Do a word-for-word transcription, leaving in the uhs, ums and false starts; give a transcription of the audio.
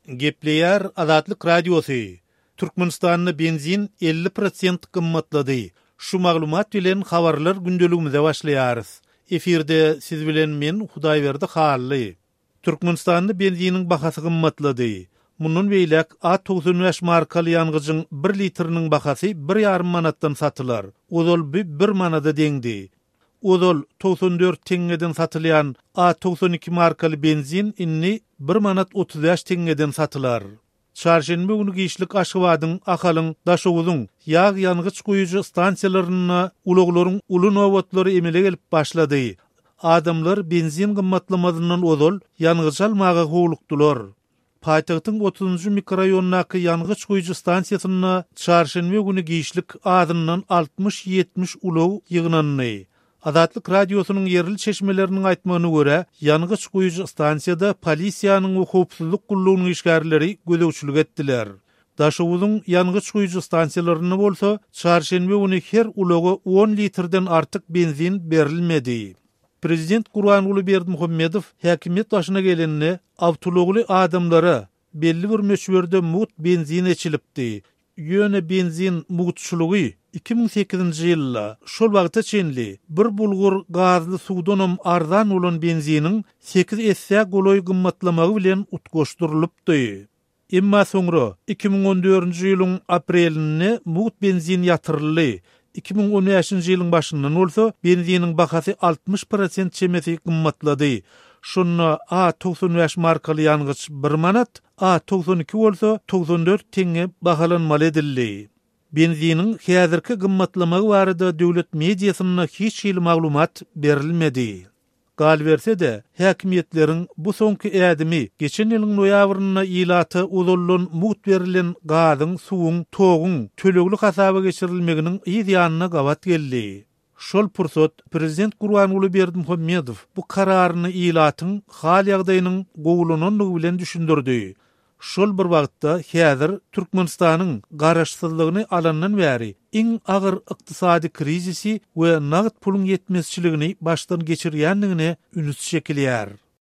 Gepleýär Azatlyk Radiosy, Türkmenistanda benzin elli prosent gymmatlady. Şu maglumat bilen habarlar gündeligimize başlaýarys. Efirde siz bilen men Hudaýberdi Hally. Türkmenistanda benziniň bahasy gymmatlady. Mundan beýläk A togsan bäş markaly ýangyjyň bir litriniň bahasy bir ýarym manatdan satylar. Ozal bu bir manada deňdi. Ozal togsan dört teňňeden satylýan A togsan iki markaly benzin indi bir manat otuz bäş teňňeden satylar. Çarşenbe güni giçlik Aşgabadyň, Ahalyň, Daşoguzyň ýag ýangyç guýujy stansiýalarynda ulaglaryň uly nobatlary emele gelip başlady. Adamlar benzin gymmatlamazyndan ozal ýangyç almaga howlukdylar. Paýtagtyň otuzynjy mikroraýonyndaky ýangyç guýujy stansiýasynda çarşenbe güni giçlik azyndan altmyş-ýetmiş ulag ýygnandy. Azatlyk Radiosynyň ýerli çeşmeleriniň aýtmagyna görä, ýangyç guýujy stansiýada polisiýanyň we howpsuzlyk gullugynyň işgärleri gözegçilik etdiler. Daşoguzyň ýangyç guýujy stansiýalarynda bolsa çarşenbe güni her ulaga on litrden artyk benzin berilmedi. Prezident Gurbanguly Berdimuhamedow häkimiýet başyna gelende awtoulagly adamlara belli bir möçberde mugt benzin eçilipdi. Ýöne benzin mugtçulygy iki müň sekizinji ýylda şol wagta çenli bir bulgur gazly suwdanam arzan bolan benziniň sekiz essä golaý gymmatlamagy bilen utgaşdyrylypdy. Emma soňra iki müň on dördünji ýylyň aprelinde mugt benzin ýatyryldy. Iki müň on bäşinji ýylyň başyndan bolsa benziniň bahasy altmyş prosent çemesi gymmatlady. Şonda A togsan bäş markaly ýangyç bir manat, A togsan iki bolsa togsan dört teňňe bahalanmaly edildi. Benziniň häzirki gymmatlamagy barada döwlet mediasynda hiç hili maglumat berilmedi. Galyberse-de, häkimiýetleriň bu soňky ädimi geçen ýylyň noýabrynda ilata ozaldan mugt berlen gazyň, suwuň, toguň tölegli hasaba geçirilmeginiň yz ýanyna gabat geldi. Şol pursat prezident Gurbanguly Berdimuhamedow bu kararyny ilatyň hal-ýagdaýynyň gowulanandygy bilen düşündirdi. Şol bir wagtda häzir Türkmenistanyň garaşsyzlygyny alandan bäri iň agyr ykdysady krizisi we nagt puluň ýetmezçiligini başdan geçirýändigine üns çekilýär.